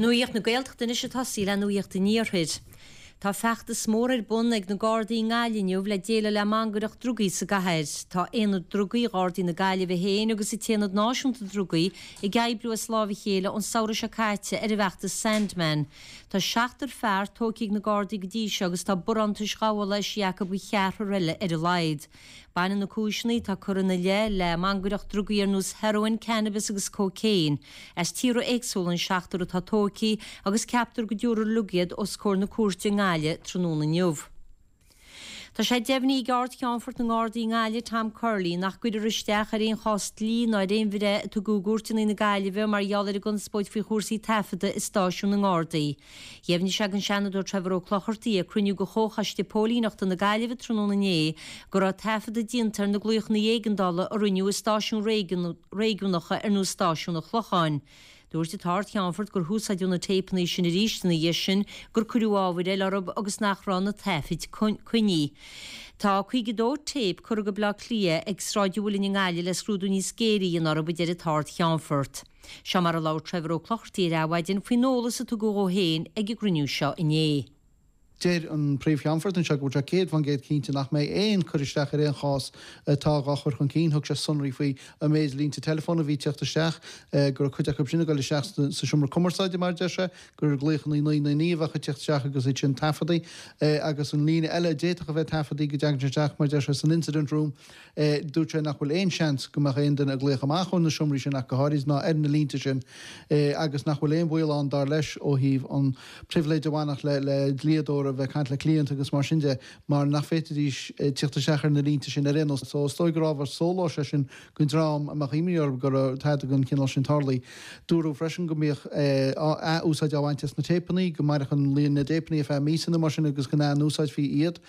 Nuacht na Gaeltachta anois ag tosaí le Nuacht an Iarthair. Tá feachtas mór ar bun ag na Gardaí i nGaillimh inniu le déileáil le mangaireacht drugaí sa gcathair. Tá Aonad Drugaí Ghardaí na Gaillimhe féin agus an tAonad Náisiúnta Drugaí ag oibriú as láimh a chéile ón samhradh seo caite ar an bhfeachtas Sandman. Tá seachtar fear tógtha ag na Gardaí go dtí seo agus tá barántais ghabhála eisithe acu do cheathrar eile ar a laghad. Baineann na cúiseanna atá curtha ina leith le mangaireacht drugaí ar nós heroin, cannabis agus cocaine. As tíortha éagsúla an seachtar atá tógtha agus ceaptar go dtabharfar uilig iad os comhair na cúirte i nGaillimh tráthnóna inniu. Tá sé deimhnithe ag Ard-Cheannfort na nGardaí i nGaillimh, Tom Curley, nach gcuirfear isteach ar aon chás dlí ná ar aon bhreith a tugadh i gcúirteanna na Gaillimhe mar gheall ar an gconspóid faoi chúrsaí taifeadta i stáisiún na nGardaí. Dheimhnigh sé don Seanadóir Trevor Ó Clochartaigh ag cruinniú de Chomhchoiste Póilíneachta na Gaillimhe tráthnóna inné go raibh taifeadadh déanta ar na glaochanna éigeandála a rinneadh i stáisiúin réigiúnacha ar nós Stáisiún an Chlocháin. Dúirt an tArd-Cheannfort gur húsáideadh na téipeanna sin arís ina dhiaidh sin, gur cuireadh ábhair eile orthu agus nach raibh na taifid coinnithe. Tá 52 téip curtha go Baile Átha Cliath ag Sráid an Mhuilinn i nGaillimh le scrúdú níos géire a dhéanamh orthu, a deir an tArd-Cheannfort. Seo mar a labhair Trevor Ó Clochartaigh ar Adhmhaidin faoin eolas a tugadh dhó féin ag an gcruinniú seo inné. Deir an Príomh-Cheannfort anseo go bhfuil sé 100% cinnte nach mbeidh aon cur isteach ar aon chás atá dhá chur chun cinn. Thug sé sonraí faoi an méid línte teileafóin a bhí ag teacht isteach, go raibh cuid acu sin ag dul isteach sa seomra cumarsáide mar a deir sé, gur glaochanna 999 a bheadh ag teacht isteach agus iad sin taifeadta agus an líne eile a d'fhéadfadh a bheith taifeadta go dtagann sé isteach mar a deir sé san incident room. Dúirt sé nach bhfuil aon seans go mbeadh aon duine ag glaoch amach ó na seomraí sin ach go háirid ná ar na línte sin agus nach bhfuil aon bhaol ann dar leis ó thaobh an pribhléid a bhainfeadh le dlíodóir a bheith ag caint le cliant agus mar sin de mar nach bhféadfaidís tíocht isteach ar na línte sin ar aon nós. So is dóigh gur ábhar sóláis é sin don dream a mbeadh imní orthu go raibh tada den chineál sin tarlaithe. Dúradh freisin go mbíodh ath-úsáid á bhaint as na téipeanna, go mairfeadh an líon na dtéipeanna ar feadh míosa nó mar sin agus go n-ath-úsáidfí iad.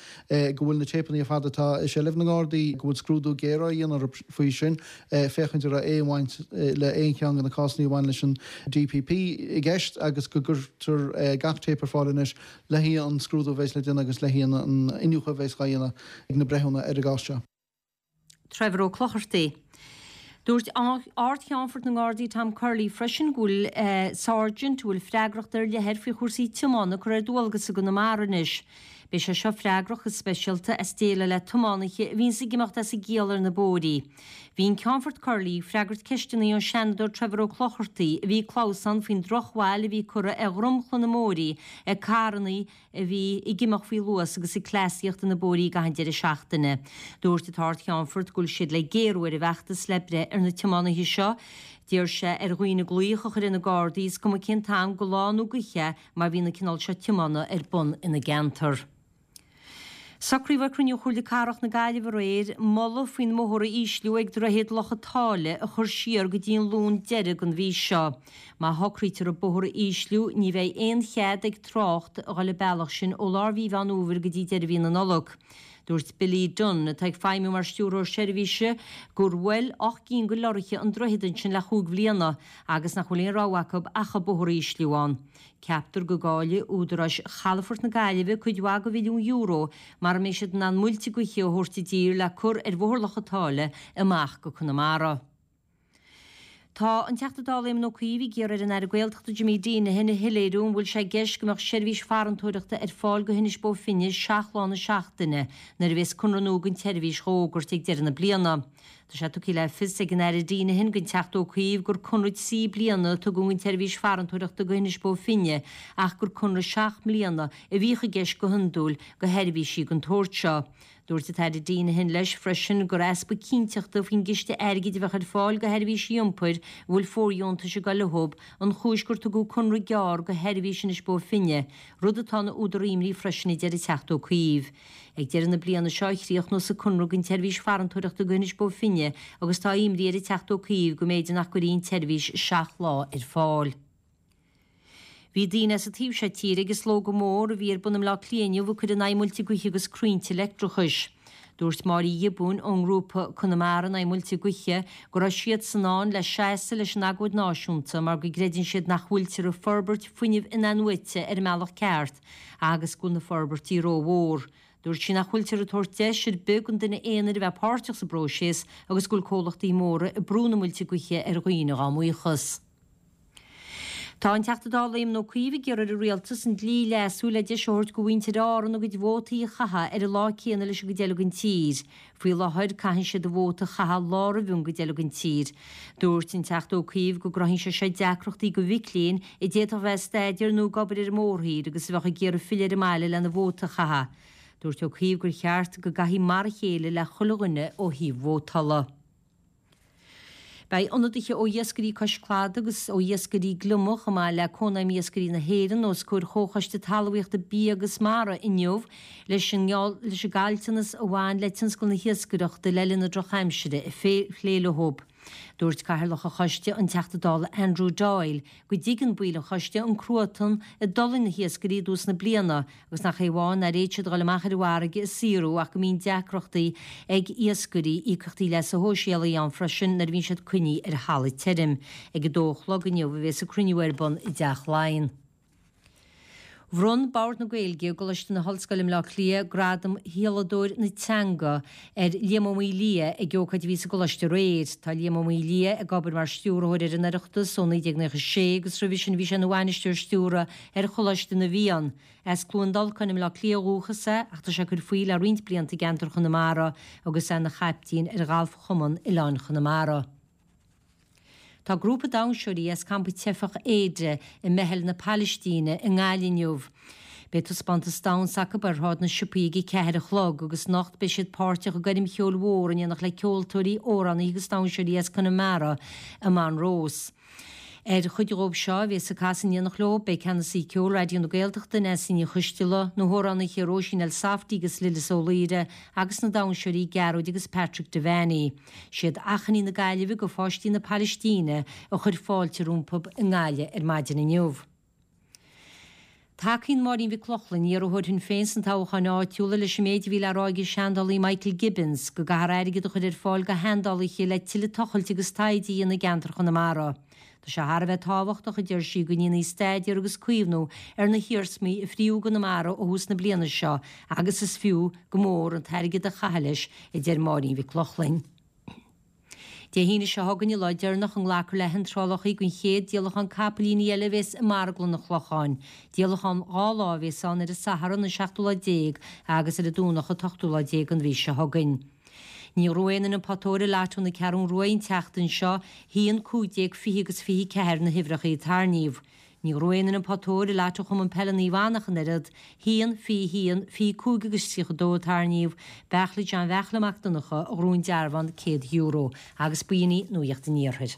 go bhfuil na téipeanna ar fad atá i seilbh na nGardaí, go bhfuil scrúdú géar á dhéanamh orthu faoi sin, féachaint an raibh aon bhaint le aon cheann de na cásanna a bhain leis an DPP i gceist agus go gcuirtear gach téip ar fáil anois le haghaidh an scrúdú a bheas le déanamh agus le haghaidh an iniúchadh a bheas á dhéanamh ag na breithiúna ar an gcás seo. Trevor Ó Clochartaigh. Dúirt Ard-Cheannfort na nGardaí Tom Curley freisin go bhfuil Sergeant a bhfuil freagracht ar leith air faoi chúrsaí tiomána curtha ar dualgas i gConamara anois. Beidh sé seo freagrach go speisialta as déileáil le tiománaithe a bhíonns ag imeacht as a gciall ar na bóithrí. Bhí an Ceannfort Curley ag freagairt ceisteanna ón Seanadóir Trevor Ó Clochartaigh a bhí ag clamhsán faoin drochbhail a bhí curtha ar dhromchla na mbóithrí ag carranna a bhí ag imeacht faoi luas agus ag cleasaíocht ar na bóithrí i gcaitheamh an deireadh seachtaine. Dúirt an tArd-Cheannfort go bhfuil siad le géarú ar an bhfeachtas le breith ar na tiománaithe seo. D'iarr sé ar dhaoine glaoch a chur ar na Gardaí, is cuma cén t-am de lá nó d'oíche, má bhíonn an cineál seo tiomána ar bun ina gceantar. Socraíodh ag cruinniú Chomhairle Cathrach na Gaillimhe aréir moladh faoin mbóthar a ísliú ag Droichead Loch an tSáile a chur siar go dtí an Luan deiridh den mhí seo. Má shocraítear an bóthar a ísliú, ní bheidh aon chead ag trácht a dhul an bealach sin ó lár mhí Mheán Fhómhair go dtí deireadh mhí na Nollag. Dúirt Billy Dunne, atá ag feidhmiú mar Stiúrthóir Seirbhíse, gur bhuail 8 gcinn de lorraithe an droichead ansin le chúig bhliana agus nach bhfuil aon rogha acu ach an bóthar a ísliú ann. Ceaptar go gcaillfidh údaráis chalafort na Gaillimhe cuid mhaith de mhilliún euro mara mbeidh siad in ann muilte gaoithe a thabhairt i dtír le cur ar Bhóthar Loch an tSáile amach go Conamara. Tá an Teachta Dála Éamon Ó Cuív ag iarraidh ar an Aire Gaeltachta Jimmy Deenihan a shoiléiriú an bhfuil sé i gceist go mbeadh seirbhís farantóireachta ar fáil go hInis Bó Finne 7 lá na seachtaine nuair a bhéas conradh nua don tseirbhís dhá fhógairt ag deireadh na bliana. Tá sé tugtha le fios ag an Aire Deenihan don Teachta Ó Cuív gur conradh 3 bliana a tugadh don tseirbhís farantóireachta go hInis Bó Finne ach gur conradh 7 mbliana a bhíodh i gceist go hiondúil do sheirbhísí den tsórt seo. Dúirt an tAire Deenihan leis freisin gur easpa cinnteachta faoin gciste airgid a bheadh ar fáil do sheirbhísí iompair a bhfuil fóirdheontais ag dul leo an chúis gur tugadh conradh gearr do sheirbhís Inis Bó Finne, rud atá ina údar imní freisin a deir an Teachta Ó Cuív. Ag deireadh na bliana seo a chríochnós an conradh don tseirbhís farantóireachta go hInis Bó Finne agus tá imní ar an Teachta Ó Cuív go mb'fhéidir nach gcuirfí an tseirbhís 7 lá ar fáil. Bhí daoine as an taobh seo tíre ag an slógadh mór a bhí ar bun i mBleá Cliath inniu ag cur in aghaidh muilte gaoithe agus crainnte leictreachais. Dúirt Máire Uí Ghiobúin ón ngrúpa Conamara in aghaidh Muilte Gaoithe go raibh siadsan ann le seasamh leis an agóid náisiúnta mar go gcreideann siad nach bhfuiltear ag forbairt fuinnimh in-athnuaite ar an mbealach ceart agus go bhfuil na forbairtí rómhór. Dúirt sí nach bhfuiltear ag tabhairt deis ar bith don duine aonair a bheith páirteach sa bpróiseas agus go bhfuil comhlachtaí móra ag brú na muilte gaoithe ar dhaoine dá mbuíochas. Tá an Teachta Dála Éamon Ó Cuív ag iarraidh ar an Rialtas an dlí a leasú le deis a thabhairt go mhuintir Árann a gcuid vótaí a chaitheamh ar an lá céanna leis an gcuid eile den tír. Faoi láthair, caitheann siad a vóta a chaitheamh lá roimh an gcuid eile den tír. Dúirt an Teachta Ó Cuív go gcruthaíonn sé seo deacrachtaí go mhic léinn a d'fhéadfadh a bheith ag staidéar nó ag obair ar an mórthír agus a bheadh ag iarraidh filleadh ar an mbaile lena vóta a chaitheamh. Dúirt Ó Cuív gur cheart go gcaithfí mar a chéile le chuile dhuine ó thaobh vótála. Beidh ionadaithe ó Iascairí Cois Cladaigh agus ó Iascairí Gliomach, chomh maith le Cónaidhm Iascairí na hÉireann, os comhair Chomhchoiste Talmhaíochta, Bia agus Mara inniu leis an leis an gcaillteanas a bhain le tionscal na hiascaireachta le linn na drochaimsire a phlé leo. Dúirt Cathaoirleach an Choiste, an Teachta Dála Andrew Doyle, go dtuigeann baill an choiste an cruatan a d'fhulaing na hiascairí i dtús na bliana agus nach é amháin nár fhéad siad a dhul amach ar an bhfarraige ag saothrú ach go mbíonn deacrachtaí ag iascairí íocaíochtaí leasa shóisialaigh ann freisin nuair a bhíonn siad coinnithe ar thalamh tirim. Ag a dó a chlog inniu a bhéas an cruinniú ar bun i dTeach Laighean. Bhronn Bord na Gaeilge i gColáiste na hOllscoile i mBleá Cliath gradam Sheoladóir na Teanga ar Liam Ó Maolaodha ag ócáid a bhí sa gcoláiste aréir. Tá Liam Ó Maolaodha ag obair mar stiúrthóir ar an Oireachtas ó 1996 agus roimhe sin bhí sé ina bhainisteoir stiúrtha ar Choláiste na bhFiann. As Cluain Dolcáin i mBleá Cliath ó dhúchas é ach tá sé ag cur faoi le roinnt blianta i gceantar Chonamara agus é ina chaiptín ar Ghalfchumann Oileáin Chonamara. Tá grúpa damhsóirí as campa teifeach Aida i Meitheal na Palaistíne i nGaillimh inniu. Beidh taispeántas damhsa acu ar Shráid na Siopaí ag 4 a chlog agus anocht beidh siad páirteach i gcoirm cheoil mhór in éineacht le ceoltóirí, amhránaithe agus damhsóirí as Conamara i Monroe's. Ar chuid dhóibh seo a bhéas ag casadh in éineacht leo beidh Ceannasaí Ceoil Raidió na Gaeltachta, Neasa Ní Choisteala, na hamhránaithe Róisín Elsafty agus Lillis Ó Laoire agus na damhsóirí Gearóid agus Patrick Devaney. Siad Achainí na Gaillimhe go pháistí na Palaistíne a chuir fáilte rompu i nGaillimh ar maidin inniu. Tacaíonn Máirín Mhic Lochlainn, iarrthóir Shinn Féin sna toghcháin áitiúla, leis an méid a bhí le rá ag an seandálaí Michael Gibbons, go gcaithfear airgead a chur ar fáil do sheandálaithe le tuilleadh tochailte agus taighde a dhéanamh i gceantar Chonamara. Tá sé thar a bheith tábhachtach, a deir sí, go ndéanfaí staidéar agus caomhnú ar na hiarsmaí a fríodh i gConamara ó thús na bliana seo agus is fiú go mór an t-airgead a chaitheamh leis, a deir Máirín Mhic Lochlainn. Dé hAoine seo chugainn an lá deireanach a nglacfar le hiontrálacha don chéad díolachán capaillíní eile a bhéas i Marglann an Chlocháin. Díolachán 2 lá a bhéas ann ar an Satharn an seachtú lá déag agus ar an Domhnach an t-ochtú lá déag den mhí seo chugainn. Ní ghnóthaigh aon fhoireann an potaire Lotto na Ceathrún Rua an tseachtain seo, 1, 15, 20 agus 24 na huimhreacha a tarraingíodh. Ní ghnóthaigh aon fhoireann an potaire Lotto Chumann Peile Naomh Anna ach an oiread, 1, 21, 25 agus 32 a tarraingíodh, Beairtle John Bheairtle Mac Donncha a ghnóthaigh an dearbhán €100 agus b'in í Nuacht an Iarthair.